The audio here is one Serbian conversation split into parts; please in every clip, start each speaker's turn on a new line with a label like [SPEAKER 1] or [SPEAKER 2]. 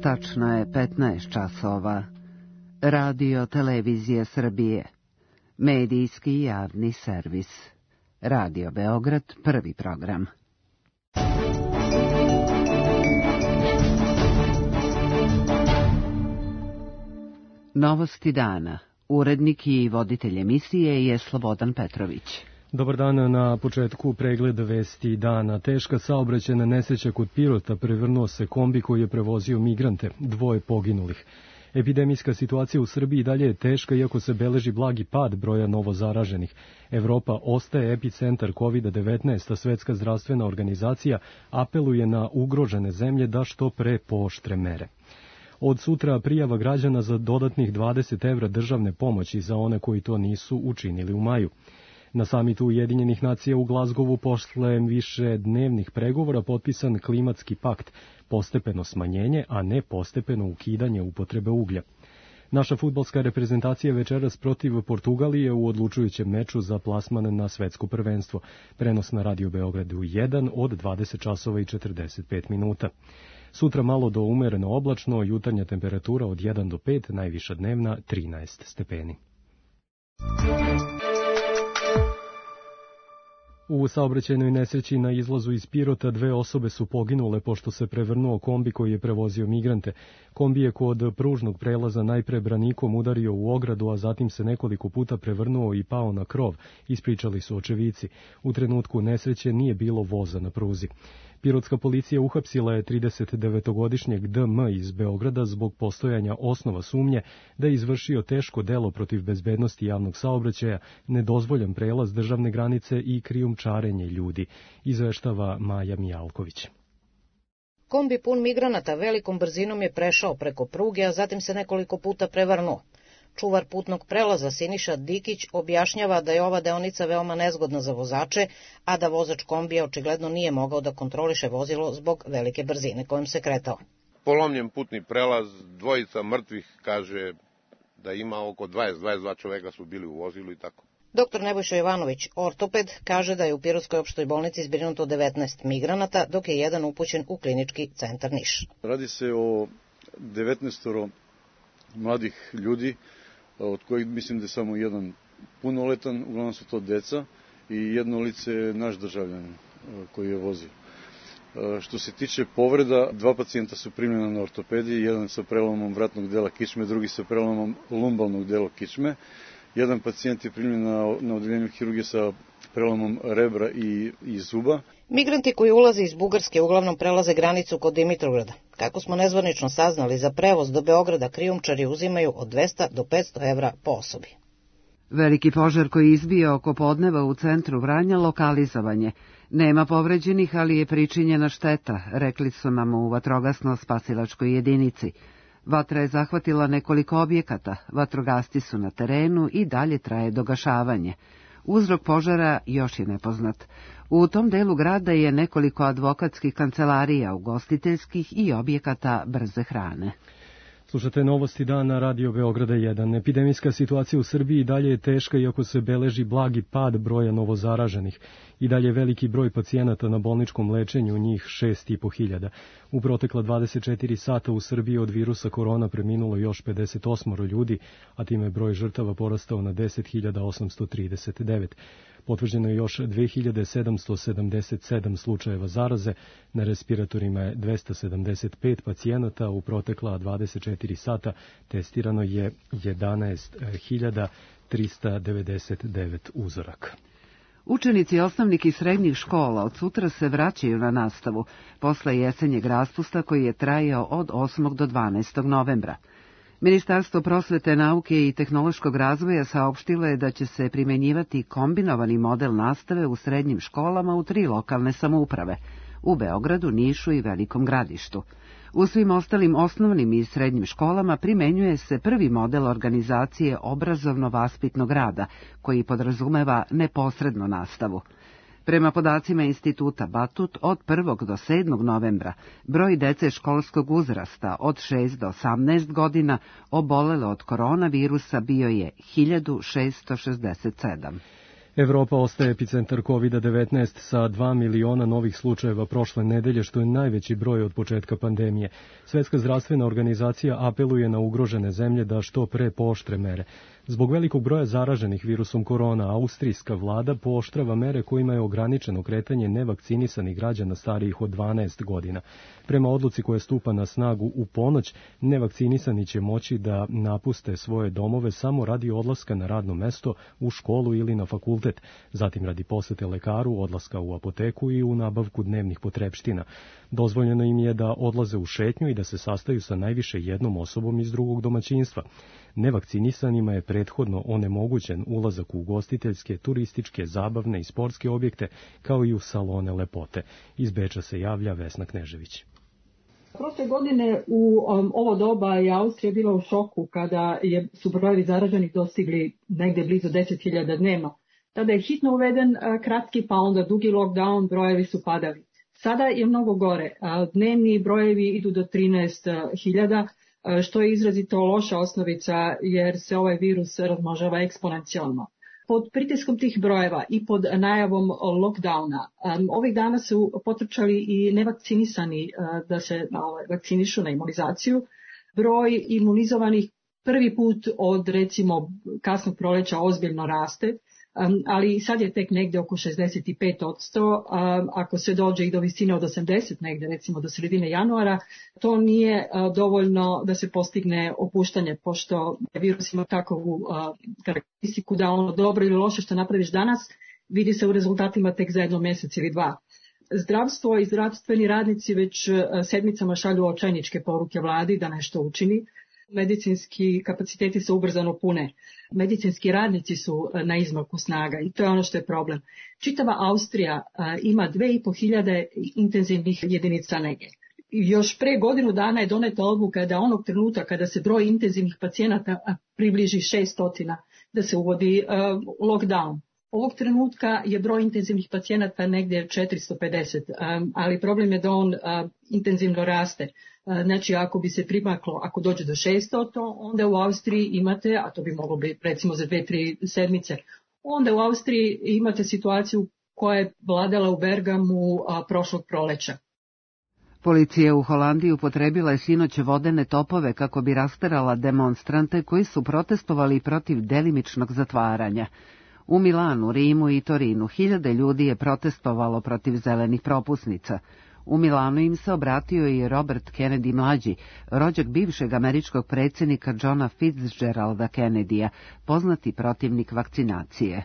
[SPEAKER 1] Tačno je 15 časova. Radio Televizije Srbije. Medijski javni servis. Radio Beograd, prvi program. Novosti dana. Urednik i voditelj emisije je Slobodan Petrović.
[SPEAKER 2] Dobar dan, na početku pregled vesti dana. Teška saobraćajna nesreća kod Pirota, prevrnuo se kombi koji je prevozio migrante, 2 poginulih. Epidemijska situacija u Srbiji dalje je teška, iako se beleži blagi pad broja novozaraženih. Evropa ostaje epicentar COVID-19, a Svetska zdravstvena organizacija apeluje na ugrožene zemlje da što pre pooštre mere. Od sutra prijava građana za dodatnih 20 evra državne pomoći za one koji to nisu učinili u maju. Na samitu Ujedinjenih nacija u Glazgovu posle više dnevnih pregovora potpisan klimatski pakt, postepeno smanjenje, a ne postepeno ukidanje upotrebe uglja. Naša fudbalska reprezentacija večeras protiv Portugalije u odlučujućem meču za plasman na svetsko prvenstvo. Prenos na Radio Beogradu 1 od 20 časova i 45 minuta. Sutra malo do umereno oblačno, jutarnja temperatura od 1 do 5, najviša dnevna 13 stepeni. U saobraćajnoj nesreći na izlazu iz Pirota 2 osobe su poginule pošto se prevrnuo kombi koji je prevozio migrante. Kombi je kod pružnog prelaza najpre branikom udario u ogradu, a zatim se nekoliko puta prevrnuo i pao na krov, ispričali su očevici. U trenutku nesreće nije bilo voza na pruzi. Pirotska policija uhapsila je 39-godišnjeg DM iz Beograda zbog postojanja osnova sumnje da je izvršio teško delo protiv bezbednosti javnog saobraćaja, nedozvoljan prelaz državne granice i krijumčarenje ljudi, izveštava Maja Mijalković.
[SPEAKER 3] Kombi pun migranata velikom brzinom je prešao preko pruge, a zatim se nekoliko puta prevrnuo. Čuvar putnog prelaza Siniša Dikić objašnjava da je ova deonica veoma nezgodna za vozače, a da vozač kombija očigledno nije mogao da kontroliše vozilo zbog velike brzine kojom se kretao.
[SPEAKER 4] Polomljen putni prelaz, 2 mrtvih, kaže da ima oko 22 čoveka su bili u vozilu i tako.
[SPEAKER 3] Dr. Nebojša Jovanović, ortoped, kaže da je u Pirotskoj opštoj bolnici zbrinuto 19 migranata, dok je jedan upućen u klinički centar Niš.
[SPEAKER 5] Radi se o 19 mladih ljudi, od kojih mislim da je samo jedan punoletan, uglavnom su to deca, i jedno lice je naš državljanin koji je vozio. Što se tiče povreda, 2 pacijenta su primljena na ortopediji, jedan sa prelomom vratnog dela kičme, drugi sa prelomom lumbalnog dela kičme. Jedan pacijent je primljen na odeljenju hirurgije sa prelomom rebra i zuba.
[SPEAKER 3] Migranti koji ulaze iz Bugarske uglavnom prelaze granicu kod Dimitrovgrada. Kako smo nezvanično saznali, za prevoz do Beograda krijumčari uzimaju od 200 do 500 evra po osobi.
[SPEAKER 1] Veliki požar koji je izbio oko podneva u centru Vranja lokalizovan je. Nema povređenih, ali je pričinjena šteta, rekli su nam u vatrogasno-spasilačkoj jedinici. Vatra je zahvatila nekoliko objekata, vatrogasci su na terenu i dalje traje dogašavanje. Uzrok požara još je nepoznat. U tom delu grada je nekoliko advokatskih kancelarija, ugostiteljskih i objekata brze hrane.
[SPEAKER 2] Slušate novosti dana Radio Beograda 1. Epidemijska situacija u Srbiji dalje je teška, iako se beleži blagi pad broja novozaraženih. I dalje veliki broj pacijenata na bolničkom lečenju, njih 6.500. U protekla 24 sata u Srbiji od virusa korona preminulo još 58 ljudi, a time je broj žrtava porastao na 10.839. Potvrđeno je još 2777 slučajeva zaraze, na respiratorima je 275 pacijenata, u protekla 24 sata testirano je 11.399 uzoraka.
[SPEAKER 1] Učenici osnovnih i srednjih škola od sutra se vraćaju na nastavu, posle jesenjeg raspusta koji je trajao od 8. do 12. novembra. Ministarstvo prosvete, nauke i tehnološkog razvoja saopštilo je da će se primenjivati kombinovani model nastave u srednjim školama u 3 lokalne samouprave, u Beogradu, Nišu i Velikom Gradištu. U svim ostalim osnovnim i srednjim školama primenjuje se prvi model organizacije obrazovno-vaspitnog rada, koji podrazumeva neposrednu nastavu. Prema podacima Instituta Batut, od 1. do 7. novembra broj dece školskog uzrasta od 6 do 18 godina obolelo od koronavirusa bio je 1667.
[SPEAKER 2] Evropa ostaje epicentar COVID-19 sa 2 miliona novih slučajeva prošle nedelje, što je najveći broj od početka pandemije. Svetska zdravstvena organizacija apeluje na ugrožene zemlje da što pre pooštre mere. Zbog velikog broja zaraženih virusom korona, austrijska vlada pooštrava mere kojima je ograničeno kretanje nevakcinisanih građana starijih od 12 godina. Prema odluci koja stupa na snagu u ponoć, nevakcinisani će moći da napuste svoje domove samo radi odlaska na radno mesto, u školu ili na fakultet, zatim radi posete lekaru, odlaska u apoteku i u nabavku dnevnih potrepština. Dozvoljeno im je da odlaze u šetnju i da se sastaju sa najviše jednom osobom iz drugog domaćinstva. Nevakcinisanima je prethodno onemogućen ulazak u ugostiteljske, turističke, zabavne i sportske objekte, kao i u salone lepote. Iz Beča se javlja Vesna Knežević.
[SPEAKER 6] Prošle godine u ovo doba je Austrija bila u šoku kada su brojevi zaraženih dostigli negde blizu 10.000 dnevno. Tada je hitno uveden kratki pa onda dugi lockdown, brojevi su padali. Sada je mnogo gore. Dnevni brojevi idu do 13.000, što je izrazito loša osnovica jer se ovaj virus razmnožava eksponencijalno. Pod pritiskom tih brojeva i pod najavom lockdowna ovih dana su potrčali i nevakcinisani da se vakcinišu na imunizaciju. Broj imunizovanih prvi put od recimo kasnog proleća ozbiljno raste, ali sad je tek negde oko 65%, ako se dođe i do visine od 80 negde recimo do sredine januara, to nije dovoljno da se postigne opuštanje, pošto virus ima takovu karakteristiku da ono dobro ili loše što napraviš danas vidi se u rezultatima tek za 1 mjesec ili 2. Zdravstvo i zdravstveni radnici već sedmicama šalju očajničke poruke vladi da nešto učini. Medicinski kapaciteti se ubrzano pune. Medicinski radnici su na izmaku snaga i to je ono što je problem. Čitava Austrija ima 2.500 intenzivnih jedinica nege. Još pre godinu dana je doneta odluka da onog trenutka kada se broj intenzivnih pacijenata približi 600, da se uvodi lockdown. Ovog trenutka je broj intenzivnih pacijenata negdje 450, ali problem je da on intenzivno raste. Znači, ako bi se primaklo, ako dođe do 600, onda u Austriji imate, a to bi moglo biti recimo za 2-3 sedmice, onda u Austriji imate situaciju koja je vladala u Bergamu prošlog proleća.
[SPEAKER 1] Policija u Holandiji upotrebila je sinoć vodene topove kako bi rasterala demonstrante koji su protestovali protiv delimičnog zatvaranja. U Milanu, Rimu i Torinu 1000 ljudi je protestovalo protiv zelenih propusnica. U Milanu im se obratio i Robert Kennedy mlađi, rođak bivšeg američkog predsjednika Johna Fitzgeralda Kennedyja, poznati protivnik vakcinacije.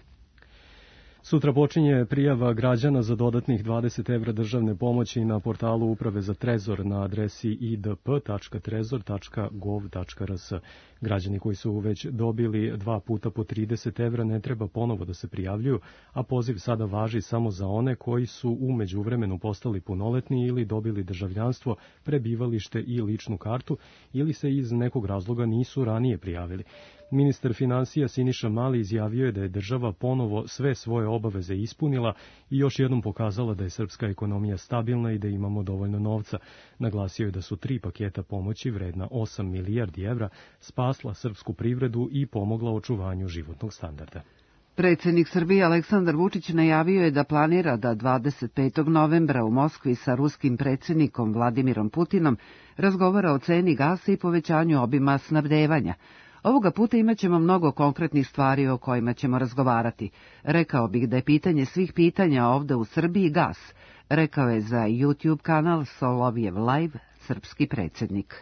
[SPEAKER 2] Sutra počinje prijava građana za dodatnih 20 evra državne pomoći na portalu Uprave za trezor na adresi idp.trezor.gov.rs. Građani koji su već dobili 2 puta po 30 evra ne treba ponovo da se prijavljuju, a poziv sada važi samo za one koji su u međuvremenu postali punoletni ili dobili državljanstvo, prebivalište i ličnu kartu ili se iz nekog razloga nisu ranije prijavili. Ministar finansija Siniša Mali izjavio je da je država ponovo sve svoje obaveze ispunila i još jednom pokazala da je srpska ekonomija stabilna i da imamo dovoljno novca. Naglasio je da su 3 paketa pomoći vredna 8 milijardi evra spasla srpsku privredu i pomogla očuvanju životnog standarda.
[SPEAKER 1] Predsjednik Srbije Aleksandar Vučić najavio je da planira da 25. novembra u Moskvi sa ruskim predsjednikom Vladimirom Putinom razgovara o ceni gasa i povećanju obima snabdevanja. Ovoga puta imat ćemo mnogo konkretnih stvari o kojima ćemo razgovarati. Rekao bih da je pitanje svih pitanja ovde u Srbiji gas, rekao je za YouTube kanal Solovjev Live srpski predsjednik.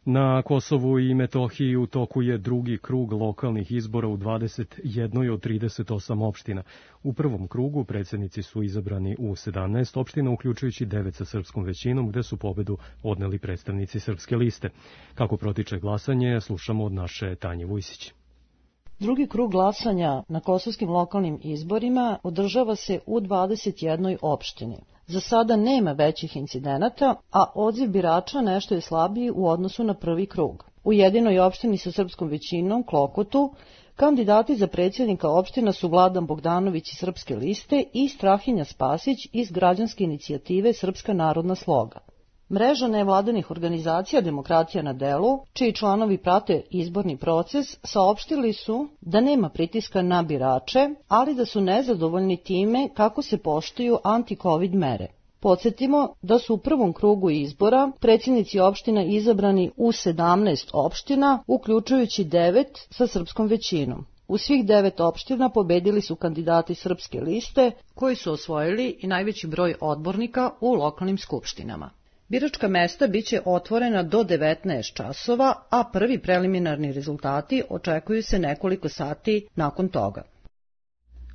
[SPEAKER 2] Na Kosovu i Metohiji u toku je drugi krug lokalnih izbora u 21 od 38 opština. U prvom krugu predsjednici su izabrani u 17 opština, uključujući 9 sa srpskom većinom, gde su pobedu odneli predstavnici srpske liste. Kako protiče glasanje, slušamo od naše Tanje Vujsić.
[SPEAKER 7] Drugi krug glasanja na kosovskim lokalnim izborima održava se u 21 opštini. Za sada nema većih incidenata, a odziv birača nešto je slabiji u odnosu na prvi krug. U jedinoj opštini sa srpskom većinom, Klokotu, kandidati za predsjednika opština su Vladan Bogdanović iz srpske liste i Strahinja Spasić iz građanske inicijative Srpska narodna sloga. Mreža nevladinih organizacija Demokratija na delu, čiji članovi prate izborni proces, saopštili su da nema pritiska na birače, ali da su nezadovoljni time kako se poštuju anti-covid mere. Podsjetimo da su u prvom krugu izbora predsjednici opština izabrani u 17 opština, uključujući 9 sa srpskom većinom. U svih 9 opština pobedili su kandidati srpske liste, koji su osvojili i najveći broj odbornika u lokalnim skupštinama. Biračka mesta biće otvorena do 19 časova, a prvi preliminarni rezultati očekuju se nekoliko sati nakon toga.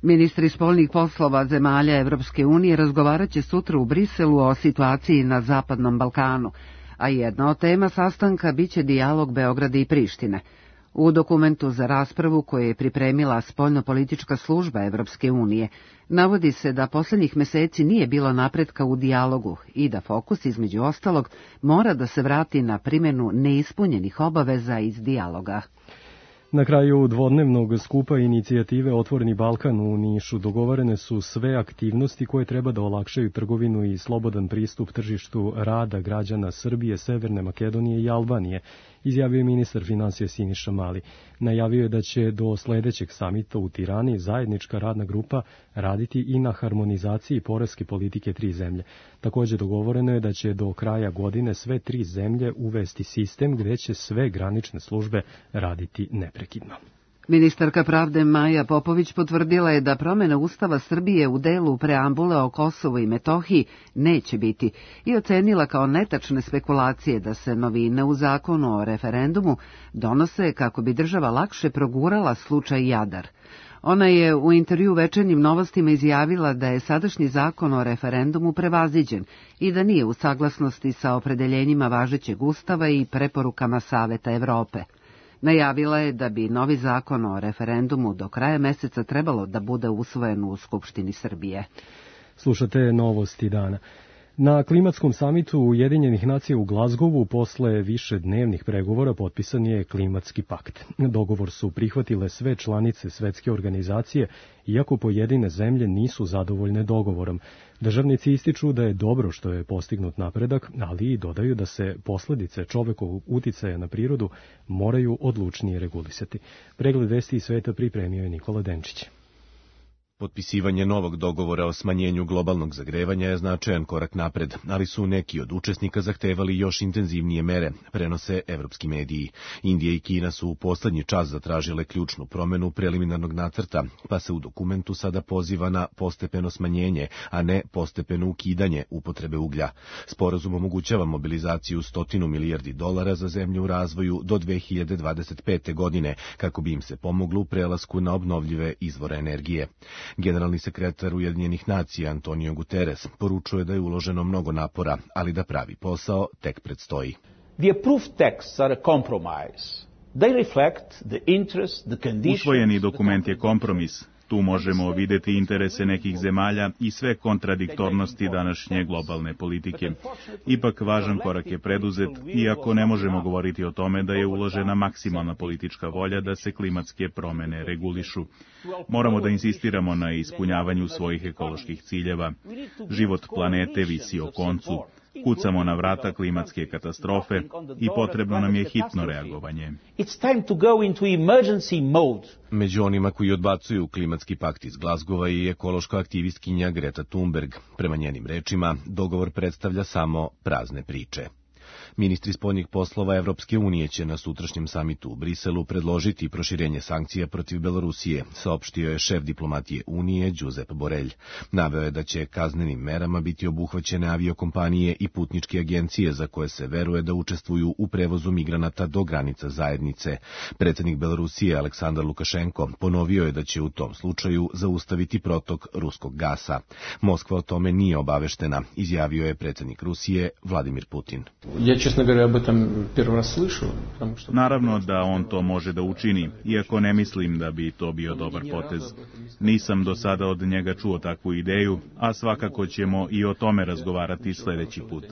[SPEAKER 1] Ministri spoljnih poslova zemalja Evropske unije razgovarat će sutra u Briselu o situaciji na Zapadnom Balkanu, a jedna od tema sastanka biće dijalog Beograda i Prištine. U dokumentu za raspravu koje je pripremila spoljnopolitička služba Evropske unije, navodi se da poslednjih meseci nije bilo napretka u dijalogu i da fokus, između ostalog, mora da se vrati na primjenu neispunjenih obaveza iz dijaloga.
[SPEAKER 2] Na kraju dvodnevnog skupa inicijative Otvoreni Balkan u Nišu dogovorene su sve aktivnosti koje treba da olakšaju trgovinu i slobodan pristup tržištu rada građana Srbije, Severne Makedonije i Albanije, izjavio je ministar finansija Siniša Mali. Najavio je da će do sledećeg samita u Tirani zajednička radna grupa raditi i na harmonizaciji poreske politike 3 zemlje. Takođe dogovoreno je da će do kraja godine sve 3 zemlje uvesti sistem gde će sve granične službe raditi neprekidno.
[SPEAKER 1] Ministarka pravde Maja Popović potvrdila je da promjena Ustava Srbije u delu preambule o Kosovu i Metohiji neće biti i ocenila kao netačne spekulacije da se novine u zakonu o referendumu donose kako bi država lakše progurala slučaj Jadar. Ona je u intervju Večernjim novostima izjavila da je sadašnji zakon o referendumu prevaziđen i da nije u saglasnosti sa opredeljenjima važećeg Ustava i preporukama Saveta Evrope. Najavila je da bi novi zakon o referendumu do kraja meseca trebalo da bude usvojen u Skupštini Srbije.
[SPEAKER 2] Slušate novosti dana. Na klimatskom samitu Ujedinjenih nacija u Glazgovu posle višednevnih pregovora potpisan je klimatski pakt. Dogovor su prihvatile sve članice svetske organizacije, iako pojedine zemlje nisu zadovoljne dogovorom. Državnici ističu da je dobro što je postignut napredak, ali i dodaju da se posledice čovekovog uticaja na prirodu moraju odlučnije regulisati. Pregled vesti iz sveta pripremio je Nikola Denčić.
[SPEAKER 8] Potpisivanje novog dogovora o smanjenju globalnog zagrevanja je značajan korak napred, ali su neki od učesnika zahtevali još intenzivnije mere, prenose evropski mediji. Indija i Kina su u poslednji čas zatražile ključnu promenu preliminarnog nacrta, pa se u dokumentu sada poziva na postepeno smanjenje, a ne postepeno ukidanje upotrebe uglja. Sporazum omogućava mobilizaciju $100 milijardi za zemlje u razvoju do 2025. godine, kako bi im se pomoglo u prelasku na obnovljive izvore energije. Generalni sekretar Ujedinjenih nacija Antonio Guterres poručuje da je uloženo mnogo napora, ali da pravi posao tek predstoji.
[SPEAKER 9] The approved texts are a compromise. They reflect the interest, the conditions.
[SPEAKER 10] Usvojeni dokument je kompromis. Tu možemo videti interese nekih zemalja i sve kontradiktornosti današnje globalne politike. Ipak važan korak je preduzet, iako ne možemo govoriti o tome da je uložena maksimalna politička volja da se klimatske promene regulišu. Moramo da insistiramo na ispunjavanju svojih ekoloških ciljeva. Život planete visi o koncu. Kucamo na vrata klimatske katastrofe i potrebno nam je hitno reagovanje.
[SPEAKER 8] Među onima koji odbacuju klimatski pakt iz Glazgova je ekološka aktivistkinja Greta Thunberg. Prema njenim rečima, dogovor predstavlja samo prazne priče. Ministri spoljnih poslova Evropske unije će na sutrašnjem samitu u Briselu predložiti proširenje sankcija protiv Belorusije, saopštio je šef diplomatije Unije Josep Borrell. Naveo je da će kaznenim merama biti obuhvaćene aviokompanije i putničke agencije za koje se veruje da učestvuju u prevozu migranata do granica zajednice. Predsjednik Belorusije Aleksandar Lukašenko ponovio je da će u tom slučaju zaustaviti protok ruskog gasa. Moskva o tome nije obaveštena, izjavio je predsjednik Rusije Vladimir Putin.
[SPEAKER 11] Ja, čestno говоря, об этом первый раз слышу.
[SPEAKER 10] Naravno da on to može da učini, iako ne mislim da bi to bio dobar potez. Nisam do sada od njega čuo takvu ideju, a svakako ćemo i o tome razgovarati sledeći put.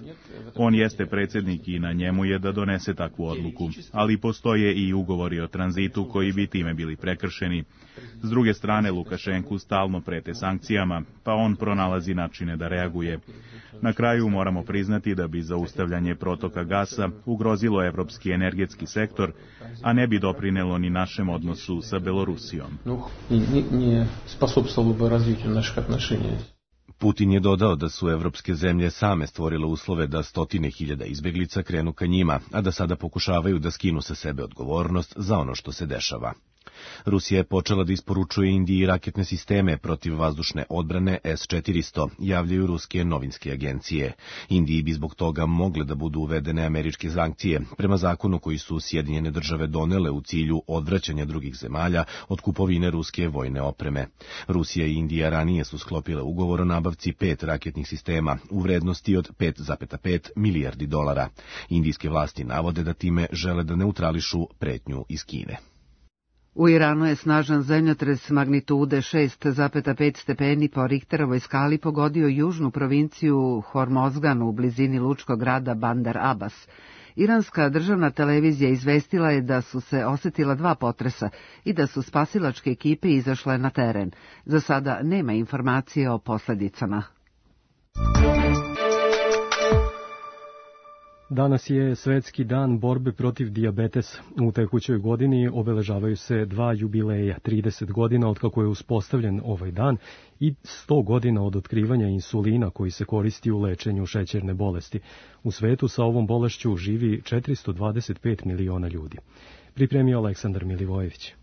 [SPEAKER 10] On jeste predsjednik i na njemu je da donese takvu odluku, ali postoje i ugovori o tranzitu koji bi time bili prekršeni. S druge strane, Lukašenku stalno prete sankcijama, pa on pronalazi načine da reaguje. Na kraju moramo priznati da bi zaustavljanje protoka gasa ugrozilo evropski energetski sektor, a ne bi doprinelo ni našem odnosu sa Belorusijom.
[SPEAKER 8] Putin je dodao da su evropske zemlje same stvorile uslove da stotine hiljada izbeglica krenu ka njima, a da sada pokušavaju da skinu sa sebe odgovornost za ono što se dešava. Rusija je počela da isporučuje Indiji raketne sisteme protiv vazdušne odbrane S-400, javljaju ruske novinske agencije. Indiji bi zbog toga mogle da budu uvedene američke sankcije, prema zakonu koji su Sjedinjene države donele u cilju odvraćanja drugih zemalja od kupovine ruske vojne opreme. Rusija i Indija ranije su sklopile ugovor o nabavci 5 raketnih sistema u vrednosti od 5,5 milijardi dolara. Indijske vlasti navode da time žele da neutrališu pretnju iz Kine.
[SPEAKER 1] U Iranu je snažan zemljotres magnitude 6,5 stepeni po Richterovoj skali pogodio južnu provinciju Hormozgan u blizini lučkog grada Bandar Abbas. Iranska državna televizija izvestila je da su se osetila 2 potresa i da su spasilačke ekipe izašle na teren. Za sada nema informacije o posljedicama.
[SPEAKER 2] Danas je Svetski dan borbe protiv dijabetesa. U tekućoj godini obeležavaju se 2 jubileja, 30 godina od kako je uspostavljen ovaj dan i 100 godina od otkrivanja insulina koji se koristi u lečenju šećerne bolesti. U svetu sa ovom bolešću živi 425 miliona ljudi. Pripremio Aleksandar Milivojević.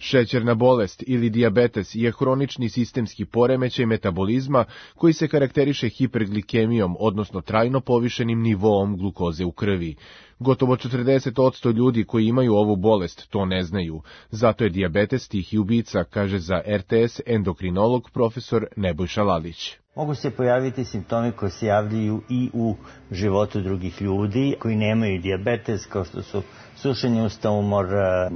[SPEAKER 12] Šećerna bolest ili dijabetes je hronični sistemski poremećaj metabolizma koji se karakteriše hiperglikemijom, odnosno trajno povišenim nivoom glukoze u krvi. Gotovo 40% ljudi koji imaju ovu bolest to ne znaju. Zato je dijabetes tihi ubica, kaže za RTS endokrinolog profesor Nebojša Lalić.
[SPEAKER 13] Mogu se pojaviti simptomi koji se javljaju i u životu drugih ljudi koji nemaju dijabetes, kao što su sušenje usta, umor,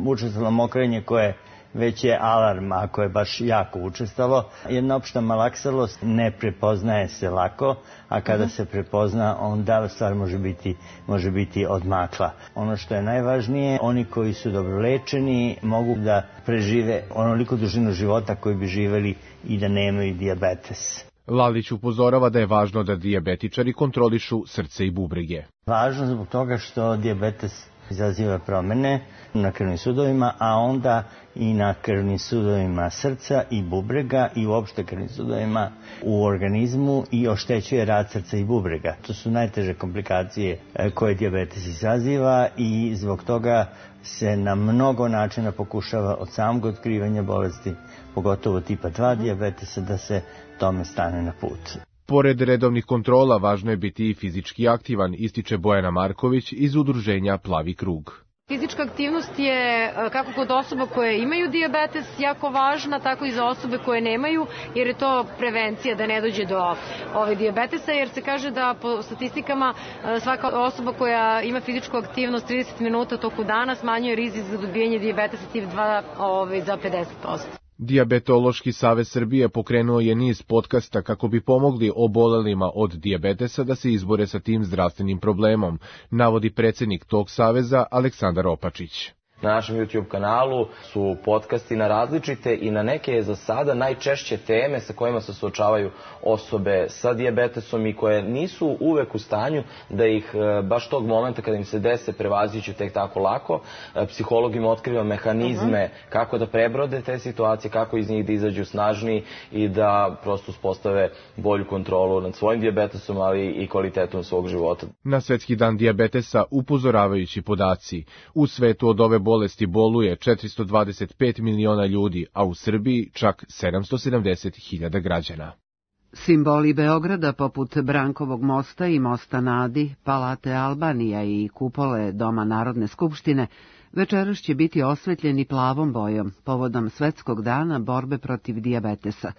[SPEAKER 13] učestalo mokrenje koje već je alarm ako je baš jako učestalo. Jedna opšta malaksalost ne prepoznaje se lako, a kada se prepozna onda stvar može biti odmakla. Ono što je najvažnije, oni koji su dobro lečeni mogu da prežive onoliko dužinu života koji bi živeli i da nemaju dijabetes.
[SPEAKER 12] Lalić upozorava da je važno da dijabetičari kontrolišu srce i bubrege.
[SPEAKER 13] Važno zbog toga što dijabetes izaziva promene na krvnim sudovima, a onda i na krvnim sudovima srca i bubrega i uopšte krvnim sudovima u organizmu i oštećuje rad srca i bubrega. To su najteže komplikacije koje dijabetes izaziva i zbog toga se na mnogo načina pokušava od samog otkrivanja bolesti, pogotovo tipa 2 dijabetesa, da se tome stane na put.
[SPEAKER 12] Pored redovnih kontrola, važno je biti i fizički aktivan, ističe Bojana Marković iz udruženja Plavi krug.
[SPEAKER 14] Fizička aktivnost je kako kod osoba koje imaju dijabetes jako važna, tako i za osobe koje nemaju, jer je to prevencija da ne dođe do dijabetesa, jer se kaže da po statistikama svaka osoba koja ima fizičku aktivnost 30 minuta toku dana smanjuje rizik za dobijanje dijabetesa tip 2 za 50%.
[SPEAKER 12] Dijabetološki savez Srbije pokrenuo je niz podcasta kako bi pomogli obolelima od dijabetesa da se izbore sa tim zdravstvenim problemom, navodi predsjednik tog saveza Aleksandar Opačić.
[SPEAKER 15] Na našem YouTube kanalu su podcasti na različite i na neke za sada najčešće teme sa kojima se suočavaju osobe sa dijabetesom i koje nisu uvek u stanju da ih baš tog momenta kada im se dese prevazići tek tako lako. Psiholog im otkriva mehanizme kako da prebrode te situacije, kako iz njih da izađu snažniji i da prosto uspostave bolju kontrolu nad svojim dijabetesom, ali i kvalitetom svog života.
[SPEAKER 12] Na Svetski dan dijabetesa upozoravajući podaci. U svetu od ove bolesti boluje 425 miliona ljudi, a u Srbiji čak 770.000 građana.
[SPEAKER 1] Simboli Beograda poput Brankovog mosta i mosta na Adi, Palate Albanija i kupole Doma Narodne skupštine večeras će biti osvetljeni plavom bojom povodom Svetskog dana borbe protiv dijabetesa.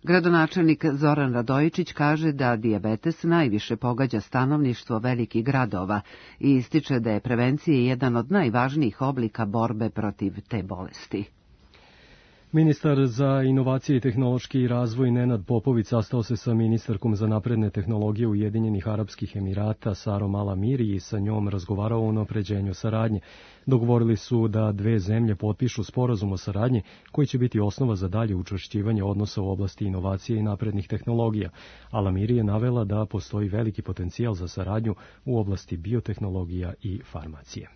[SPEAKER 1] Gradonačelnik Zoran Radojičić kaže da dijabetes najviše pogađa stanovništvo velikih gradova i ističe da je prevencija jedan od najvažnijih oblika borbe protiv te bolesti.
[SPEAKER 2] Ministar za inovacije i tehnološki razvoj Nenad Popović sastao se sa ministarkom za napredne tehnologije Ujedinjenih Arapskih Emirata Sarom Al Amiri i sa njom razgovarao o unapređenju saradnje. Dogovorili su da dve zemlje potpišu sporazum o saradnji koji će biti osnova za dalje učvršćivanje odnosa u oblasti inovacije i naprednih tehnologija. Al Amiri je navela da postoji veliki potencijal za saradnju u oblasti biotehnologija i farmacije.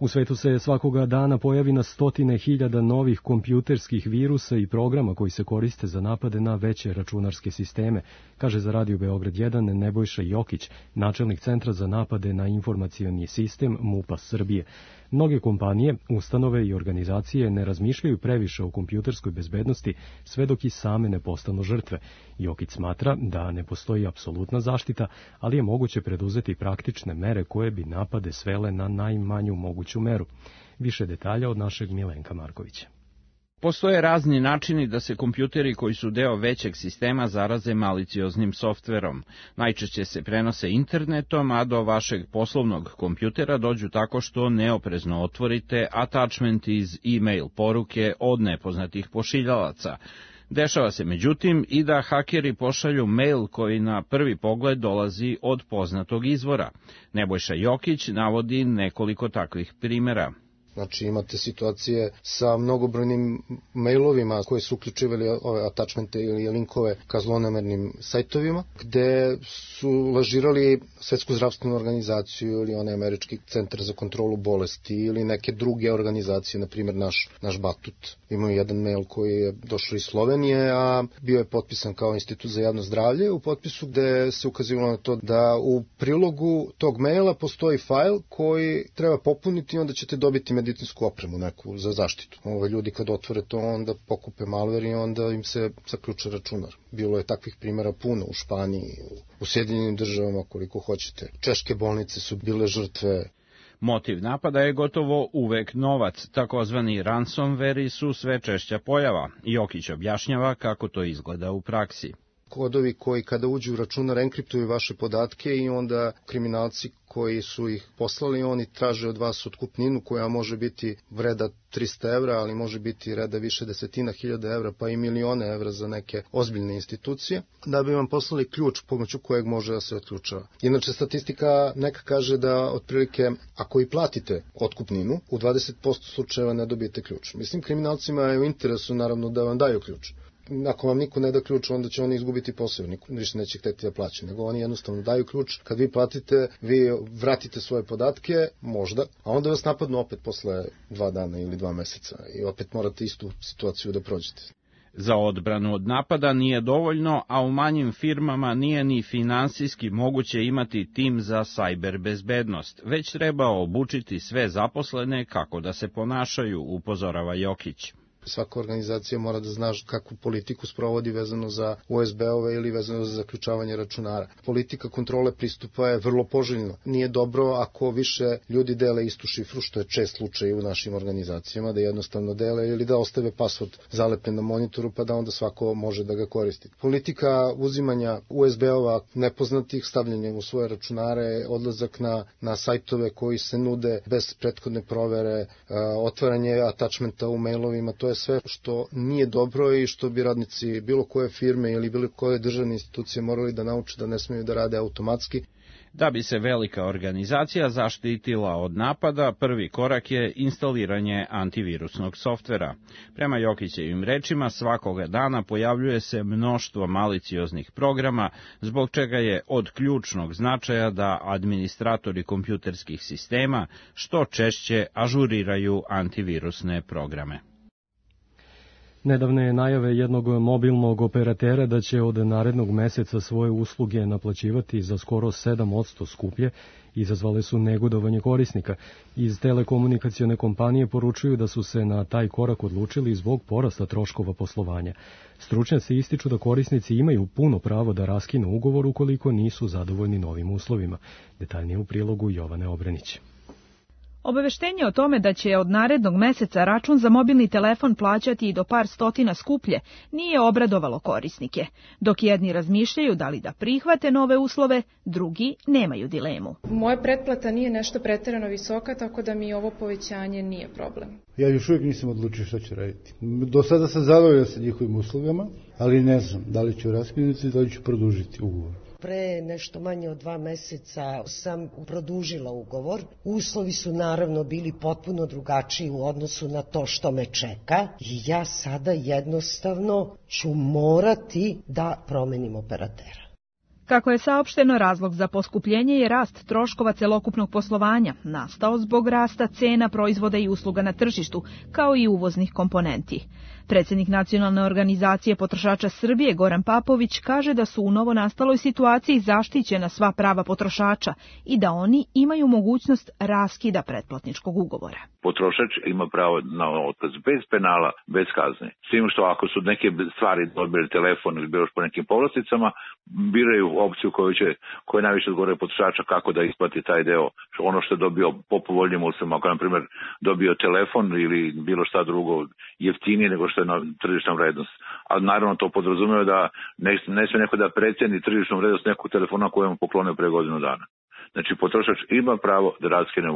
[SPEAKER 2] U svetu se svakoga dana pojavi na stotine hiljada novih kompjuterskih virusa i programa koji se koriste za napade na veće računarske sisteme, kaže za Radio Beograd 1 Nebojša Jokić, načelnik Centra za napade na informacioni sistem MUP-a Srbije. Mnoge kompanije, ustanove i organizacije ne razmišljaju previše o kompjuterskoj bezbednosti sve dok i same ne postanu žrtve. Jokić smatra da ne postoji apsolutna zaštita, ali je moguće preduzeti praktične mere koje bi napade svele na najmanju moguću meru. Više detalja od našeg Milenka Markovića.
[SPEAKER 16] Postoje razni načini da se kompjuteri koji su deo većeg sistema zaraze malicioznim softverom. Najčešće se prenose internetom, a do vašeg poslovnog kompjutera dođu tako što neoprezno otvorite attachment iz e-mail poruke od nepoznatih pošiljalaca. Dešava se međutim i da hakeri pošalju mail koji na prvi pogled dolazi od poznatog izvora. Nebojša Jokić navodi nekoliko takvih primjera.
[SPEAKER 17] Znači imate situacije sa mnogobrojnim mailovima koje su uključivali ove attachmente ili linkove ka zlonamernim sajtovima, gde su lažirali Svetsku zdravstvenu organizaciju ili onaj Američki centar za kontrolu bolesti ili neke druge organizacije, na primjer naš Batut. Imaju jedan mail koji je došao iz Slovenije, a bio je potpisan kao Institut za javno zdravlje, u potpisu gde se ukazivalo na to da u prilogu tog maila postoji fajl koji treba popuniti i onda ćete dobiti medicinsku opremu neku za zaštitu. Ljudi kad otvore to onda pokupe malver i onda im se zaključa računar. Bilo je takvih primjera puno u Španiji, u Sjedinjenim državama koliko hoćete. Češke bolnice su bile žrtve.
[SPEAKER 16] Motiv napada je gotovo uvek novac, takozvani ransomware su sve češća pojava. Jokić objašnjava kako to izgleda u praksi.
[SPEAKER 17] Kodovi koji kada uđu u računar enkriptuju vaše podatke i onda kriminalci koji su ih poslali, oni traže od vas otkupninu koja može biti vreda 300 evra, ali može biti vreda više desetina hiljada evra, pa i milione evra za neke ozbiljne institucije, da bi vam poslali ključ pomoću kojeg može da se otključava. Inače, statistika neka kaže da otprilike, ako i platite otkupninu, u 20% slučajeva ne dobijete ključ. Mislim, kriminalcima je u interesu, naravno, da vam daju ključ. Ako vam niko ne da ključ, onda će oni izgubiti posao, niko više neće hteti da plaća, nego oni jednostavno daju ključ, kad vi platite, vi vratite svoje podatke, možda, a onda vas napadnu opet posle 2 dana ili 2 meseca i opet morate istu situaciju da prođete.
[SPEAKER 16] Za odbranu od napada nije dovoljno, a u manjim firmama nije ni finansijski moguće imati tim za sajber bezbednost, već treba obučiti sve zaposlene kako da se ponašaju, upozorava Jokić.
[SPEAKER 17] Svaka organizacija mora da zna kakvu politiku sprovodi vezano za USB-ove ili vezano za zaključavanje računara. Politika kontrole pristupa je vrlo poželjna. Nije dobro ako više ljudi dele istu šifru, što je čest slučaj u našim organizacijama, da jednostavno dele ili da ostave password zalepen na monitoru pa da onda svako može da ga koristi. Politika uzimanja USB-ova nepoznatih, stavljanja u svoje računare, odlazak na sajtove koji se nude bez prethodne provere, otvaranje attachmenta u mailovima, to je sve što nije dobro i što bi radnici bilo koje firme ili bilo koje državne institucije morali da nauče da ne smeju da rade automatski.
[SPEAKER 16] Da bi se velika organizacija zaštitila od napada, prvi korak je instaliranje antivirusnog softvera. Prema Jokićevim rečima, svakoga dana pojavljuje se mnoštvo malicioznih programa, zbog čega je od ključnog značaja da administratori kompjuterskih sistema što češće ažuriraju antivirusne programe.
[SPEAKER 2] Nedavne najave jednog mobilnog operatera da će od narednog meseca svoje usluge naplaćivati za skoro 7% skuplje izazvale su negodovanje korisnika. Iz telekomunikacione kompanije poručuju da su se na taj korak odlučili zbog porasta troškova poslovanja. Stručnjaci ističu da korisnici imaju puno pravo da raskinu ugovor ukoliko nisu zadovoljni novim uslovima. Detaljnije u prilogu Jovane Obrenić.
[SPEAKER 18] Obaveštenje o tome da će od narednog meseca račun za mobilni telefon plaćati i do par stotina skuplje nije obradovalo korisnike, dok jedni razmišljaju da li da prihvate nove uslove, drugi nemaju dilemu.
[SPEAKER 19] Moja pretplata nije nešto preterano visoka, tako da mi ovo povećanje nije problem.
[SPEAKER 20] Ja još uvijek nisam odlučio šta ću raditi. Do sada sam zadovoljan sa njihovim uslugama, ali ne znam da li ću raskinuti, da li ću produžiti ugovor.
[SPEAKER 21] Pre nešto manje od 2 meseca sam produžila ugovor. Uslovi su naravno bili potpuno drugačiji u odnosu na to što me čeka i ja sada jednostavno ću morati da promenim operatera.
[SPEAKER 18] Kako je saopšteno, razlog za poskupljenje je rast troškova celokupnog poslovanja, nastao zbog rasta cena proizvoda i usluga na tržištu, kao i uvoznih komponenti. Predsjednik Nacionalne organizacije potrošača Srbije Goran Papović kaže da su u novonastaloj situaciji zaštićena sva prava potrošača i da oni imaju mogućnost raskida pretplatničkog ugovora.
[SPEAKER 22] Potrošač ima pravo na otkaz bez penala, bez kazne. S tim što ako su neke stvari odbili telefon ili bilo po nekim povlasticama, biraju opciju koja najviše odgovara potrošača kako da isplati taj deo, ono što je dobio po povoljnijim uslovima. Ako, na primjer, dobio telefon ili bilo šta drugo jeftinije nego što je na tržišna vrednost. A naravno to podrazumeva da ne sve neko da preceni tržišnu vrednost nekog telefona kojem je poklonio pre godinu dana. Znači, potrošač ima pravo da raskine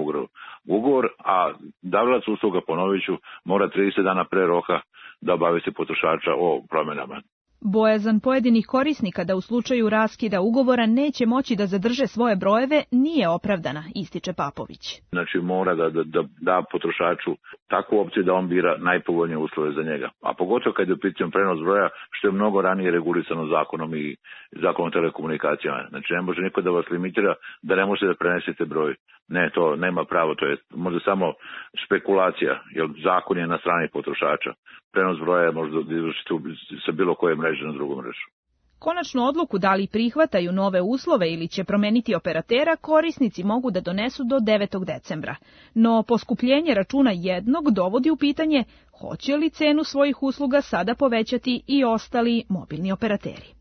[SPEAKER 22] ugovor, a davalac usluga, ponovit ću, mora 30 dana pre roka da obavesti potrošača o promjenama.
[SPEAKER 18] Bojazan pojedinih korisnika da u slučaju raskida ugovora neće moći da zadrže svoje brojeve nije opravdana, ističe Papović.
[SPEAKER 22] Znači mora da potrošaču takvu opciju da on bira najpovoljnije uslove za njega. A pogotovo kad je u pitanju prenos broja, što je mnogo ranije regulisano zakonom i zakonom telekomunikacijama. Znači ne može niko da vas limitira da ne možete da prenesete broj. Ne, to nema pravo, to je možda samo spekulacija, jer zakon je na strani potrošača. Prenos broja možda izvršiti sa bilo koje mreže na drugu mrežu.
[SPEAKER 18] Konačnu odluku da li prihvataju nove uslove ili će promeniti operatera korisnici mogu da donesu do 9. decembra. No poskupljenje računa jednog dovodi u pitanje hoće li cenu svojih usluga sada povećati i ostali mobilni operateri.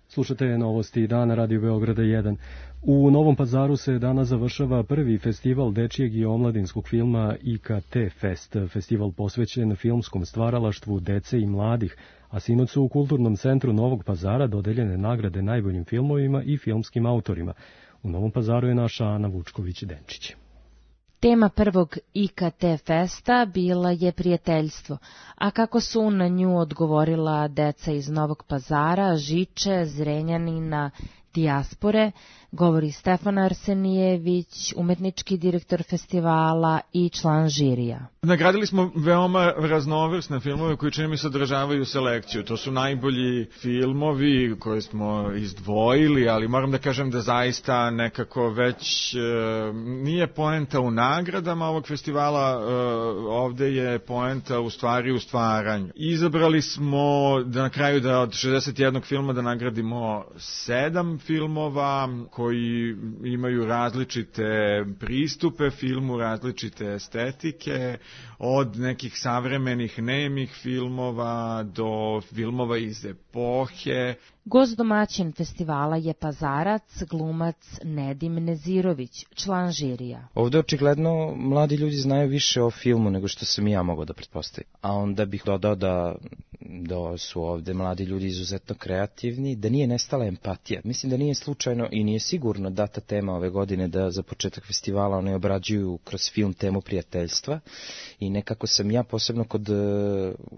[SPEAKER 2] Slušate novosti dana Radio Beograda 1. U Novom Pazaru se danas završava prvi festival dečijeg i omladinskog filma IKT Fest, festival posvećen filmskom stvaralaštvu dece i mladih, a sinoć su u Kulturnom centru Novog Pazara dodeljene nagrade najboljim filmovima i filmskim autorima. U Novom Pazaru je naša Ana Vučković-Denčić.
[SPEAKER 23] Tema prvog IKT Festa bila je prijateljstvo, a kako su na nju odgovorila deca iz Novog Pazara, Žiče, Zrenjanina, dijaspore, govori Stefan Arsenijević, umetnički direktor festivala i član žirija.
[SPEAKER 24] Nagradili smo veoma raznovrsne filmove koji čini mi se održavaju selekciju. To su najbolji filmovi koje smo izdvojili, ali moram da kažem da zaista nekako već nije poenta u nagradama ovog festivala, ovde je poenta u stvari u stvaranju. Izabrali smo da na kraju da od 61 filma da nagradimo 7 filmova koji imaju različite pristupe filmu, različite estetike, od nekih savremenih nemih filmova do filmova iz epohe.
[SPEAKER 23] Gost domaćin festivala je Pazarac, glumac Nedim Nezirović, član žirija.
[SPEAKER 25] Ovde očigledno mladi ljudi znaju više o filmu nego što sam ja mogao da pretpostavim. A onda bih dodao da su ovde mladi ljudi izuzetno kreativni, da nije nestala empatija. Mislim da nije slučajno i nije sigurno data tema ove godine da za početak festivala oni obrađuju kroz film temu prijateljstva i nekako sam ja posebno kod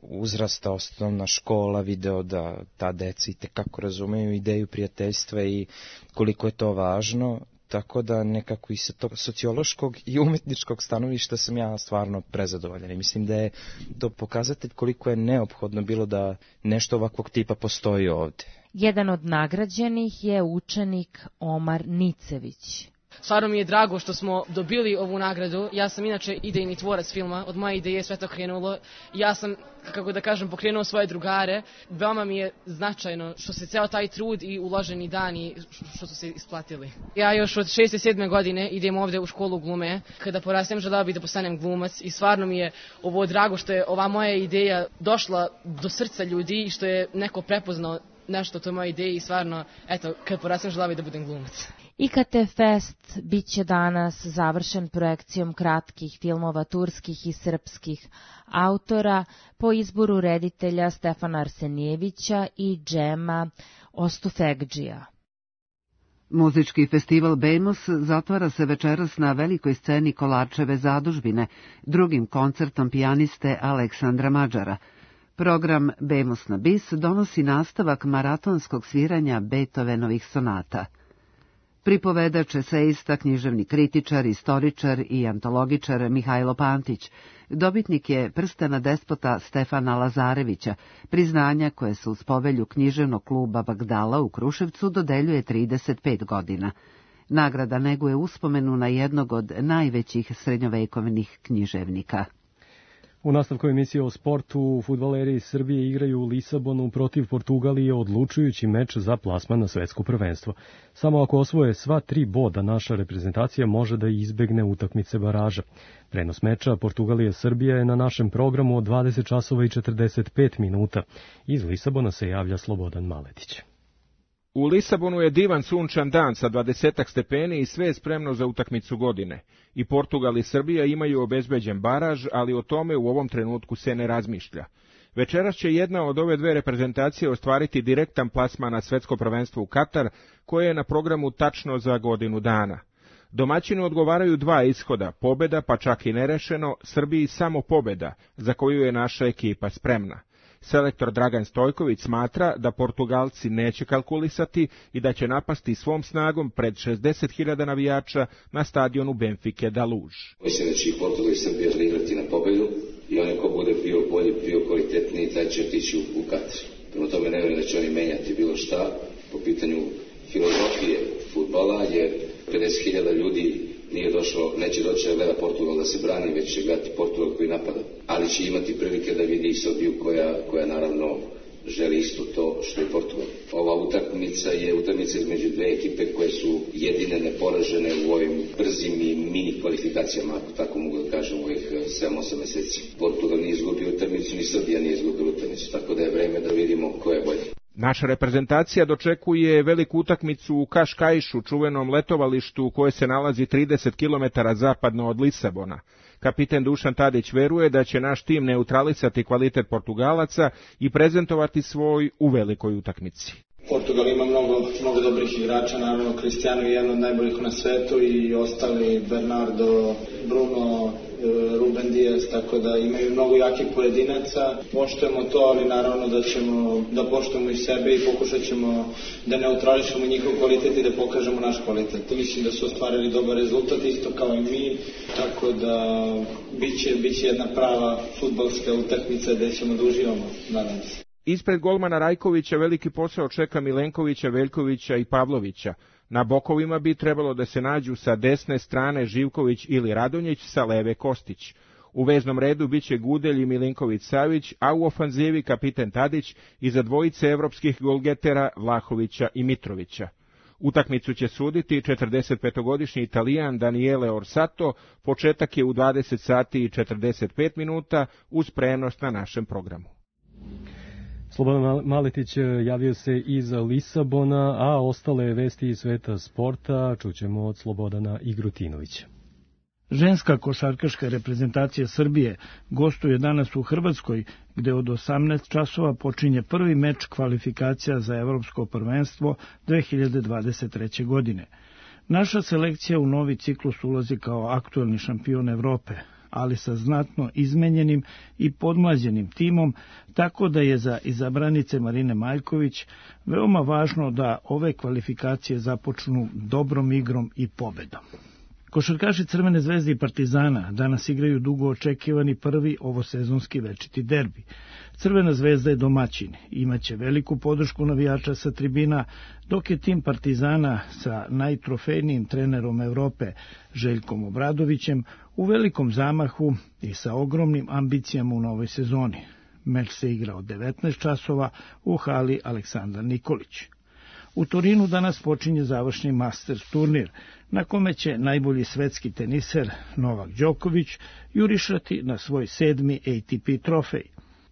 [SPEAKER 25] uzrasta osnovna škola video da ta deca i tekako razumeju ideju prijateljstva i koliko je to važno, tako da nekako i sa tog sociološkog i umetničkog stanovišta sam ja stvarno prezadovoljan i mislim da je to pokazatelj koliko je neophodno bilo da nešto ovakvog tipa postoji ovde.
[SPEAKER 23] Jedan od nagrađenih je učenik Omar Nicević.
[SPEAKER 26] Stvarno mi je drago što smo dobili ovu nagradu. Ja sam inače idejni tvorac filma, od moje ideje sve to krenulo. Ja sam, kako da kažem, pokrenuo svoje drugare. Veoma mi je značajno što se ceo taj trud i uloženi dani što su se isplatili. Ja još od 6. i 7. godine idem ovde u školu glume. Kada porastem želeo bih da postanem glumac i stvarno mi je ovo drago što je ova moja ideja došla do srca ljudi i što je neko prepoznao nešto o toj moje ideji i stvarno, eto, kad porastem želeo bih da budem glumac.
[SPEAKER 23] IKT Fest biće danas završen projekcijom kratkih filmova turskih i srpskih autora po izboru reditelja Stefana Arsenijevića i Džema Ostufegdžija.
[SPEAKER 1] Muzički festival Bemos zatvara se večeras na velikoj sceni Kolarčeve zadužbine, drugim koncertom pijaniste Aleksandra Mađara. Program Bemos na bis donosi nastavak maratonskog sviranja Beethovenovih sonata. Pripovedač, eseista, književni kritičar, istoričar i antologičar Mihajlo Pantić, dobitnik je prstena despota Stefana Lazarevića, priznanja koje se uz povelju književnog kluba Bagdala u Kruševcu dodeljuje 35 godina. Nagrada neguje uspomenu na jednog od najvećih srednjovekovnih književnika.
[SPEAKER 2] U nastavku emisije o sportu, fudbaleri Srbije igraju u Lisabonu protiv Portugalije odlučujući meč za plasman na svetsko prvenstvo. Samo ako osvoje sva 3 boda, naša reprezentacija može da izbegne utakmice baraža. Prenos meča Portugalije-Srbija je na našem programu od 20 časova i 45 minuta. Iz Lisabona se javlja Slobodan Maletić.
[SPEAKER 3] U Lisabonu je divan sunčan dan sa 20 stepeni i sve je spremno za utakmicu godine. I Portugal i Srbija imaju obezbeđen baraž, ali o tome u ovom trenutku se ne razmišlja. Večeras će jedna od ove dve reprezentacije ostvariti direktan plasman na svetsko prvenstvo u Katar, koje je na programu tačno za godinu dana. Domaćinu odgovaraju 2 ishoda, pobeda pa čak i nerešeno, Srbiji samo pobeda, za koju je naša ekipa spremna. Selektor Dragan Stojković smatra da Portugalci neće kalkulisati i da će napasti svom snagom pred 60.000 navijača na stadionu Benfike da Luz.
[SPEAKER 4] Mislim da će i Portugal i Srbija igrati na pobedu i onaj ko bude bio bolji, bio kvalitetniji, taj će otići u Katar. Prema tome ne vjerujem da će oni menjati bilo šta po pitanju filozofije fudbala, jer 50.000 ljudi neće doći da gleda Portugal da se brani, već će gledati Portugal koji napada. Ali će imati prilike da vidi i Srbiju koja naravno želi isto to što je Portugal. Ova utakmica je utakmica između dve ekipe koje su jedine neporažene u ovim brzim i mini kvalifikacijama, ako tako mogu da kažem, u ovih 7-8 meseci. Portugal nije izgubio utakmicu, ni Srbija nije izgubila utakmicu, tako da je vreme da vidimo ko je bolji.
[SPEAKER 3] Naša reprezentacija dočekuje veliku utakmicu u Kaškajšu, čuvenom letovalištu koje se nalazi 30 km zapadno od Lisabona. Kapiten Dušan Tadić veruje da će naš tim neutralisati kvalitet Portugalaca i prezentovati svoj u velikoj utakmici.
[SPEAKER 11] Portugal ima mnogo dobrih igrača, naravno Cristiano je jedan od najboljih na svetu i ostali Bernardo, Bruno, Ruben Dias, tako da imaju mnogo jakih pojedinaca. Poštujemo to, ali naravno da ćemo da poštujemo i sebe i pokušat ćemo da neutrališemo njihov kvalitet i da pokažemo naš kvalitet. Mislim da su ostvarili dobar rezultat, isto kao i mi, tako da biće jedna prava fudbalska utakmica gde ćemo da uživamo, nadam se.
[SPEAKER 3] Ispred golmana Rajkovića veliki posao čeka Milenkovića, Veljkovića i Pavlovića. Na bokovima bi trebalo da se nađu sa desne strane Živković ili Radonjić, sa leve Kostić. U veznom redu biće Gudelj i Milinković-Savić, a u ofanzivi kapiten Tadić i za dvojice evropskih golgetera Vlahovića i Mitrovića. Utakmicu će suditi 45-godišnji Italijan Daniele Orsato, početak je u 20 sati i 45 minuta uz prenos na našem programu.
[SPEAKER 2] Slobodan Maletić javio se iz Lisabona, a ostale vesti iz sveta sporta čućemo od Slobodana Igrutinovića.
[SPEAKER 5] Ženska košarkaška reprezentacija Srbije gostuje danas u Hrvatskoj, gde od 18 časova počinje prvi meč kvalifikacija za Evropsko prvenstvo 2023. godine. Naša selekcija u novi ciklus ulazi kao aktuelni šampion Evrope, ali sa znatno izmenjenim i podmlađenim timom, tako da je za izabranice Marine Maljković veoma važno da ove kvalifikacije započnu dobrom igrom i pobedom. Košarkaši Crvene zvezde i Partizana danas igraju dugo očekivani prvi ovosezonski večiti derbi. Crvena zvezda je domaćin, imaće veliku podršku navijača sa tribina, dok je tim Partizana sa najtrofejnijim trenerom Evrope, Željkom Obradovićem, u velikom zamahu i sa ogromnim ambicijama u novoj sezoni. Meč se igra od 19 časova u hali Aleksandar Nikolić. U Torinu danas počinje završni Masters turnir, na kome će najbolji svetski teniser Novak Đoković jurišati na svoj 7. ATP trofej.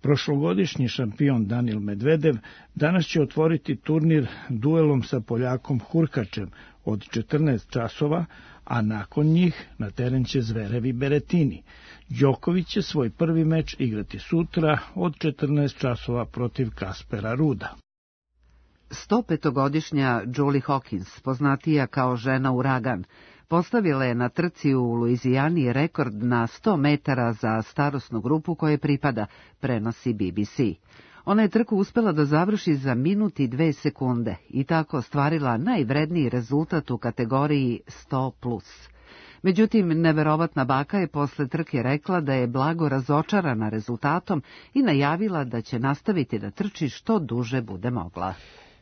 [SPEAKER 5] Prošlogodišnji šampion Danil Medvedev danas će otvoriti turnir duelom sa Poljakom Hurkačem od 14 časova, a nakon njih na teren će Zverev i Beretini. Đoković će svoj prvi meč igrati sutra od 14 časova protiv Kaspera Ruda.
[SPEAKER 1] 105-godišnja Julie Hawkins, poznatija kao žena Uragan, postavila je na trci u Luizijani rekord na 100 metara za starosnu grupu koje pripada, prenosi BBC. Ona je trku uspela da završi za minut i 2 sekunde i tako ostvarila najvredniji rezultat u kategoriji 100+. Međutim, neverovatna baka je posle trke rekla da je blago razočarana rezultatom i najavila da će nastaviti da trči što duže bude mogla.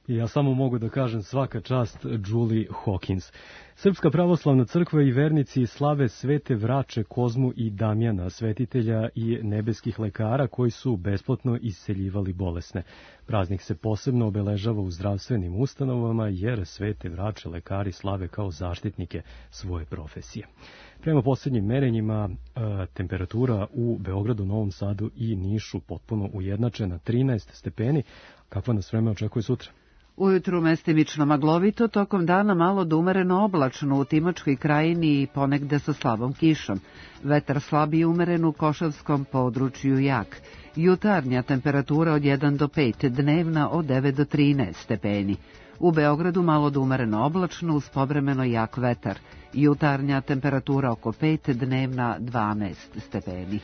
[SPEAKER 2] Ja samo mogu da kažem svaka čast Julie Hawkins. Srpska pravoslavna crkva i vernici slave svete Vrače, Kozmu i Damjana, svetitelja i nebeskih lekara koji su besplatno isceljivali bolesne. Praznik se posebno obeležava u zdravstvenim ustanovama jer svete Vrače lekari slave kao zaštitnike svoje profesije. Prema posljednjim merenjima, temperatura u Beogradu, Novom Sadu i Nišu potpuno ujednačena 13 stepeni. Kakva nas vreme očekuje sutra?
[SPEAKER 1] Ujutru mestimično maglovito, tokom dana malo do umereno oblačno u Timočkoj krajini i ponegde sa slabom kišom. Vetar slab i umeren u Košavskom području jak. Jutarnja temperatura od 1 do 5, dnevna od 9 do 13 stepeni. U Beogradu malo do umereno oblačno uz povremeno jak vetar. Jutarnja temperatura oko 5, dnevna 12 stepeni.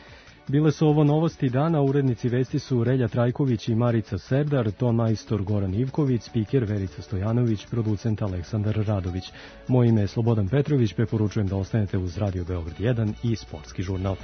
[SPEAKER 2] Bile su ovo novosti dana, urednici vesti su Relja Trajković i Marica Serdar, ton majstor Goran Ivković, spiker Verica Stojanović, producent Aleksandar Radović. Moje ime je Slobodan Petrović, preporučujem da ostanete uz Radio Beograd 1 i Sportski žurnal.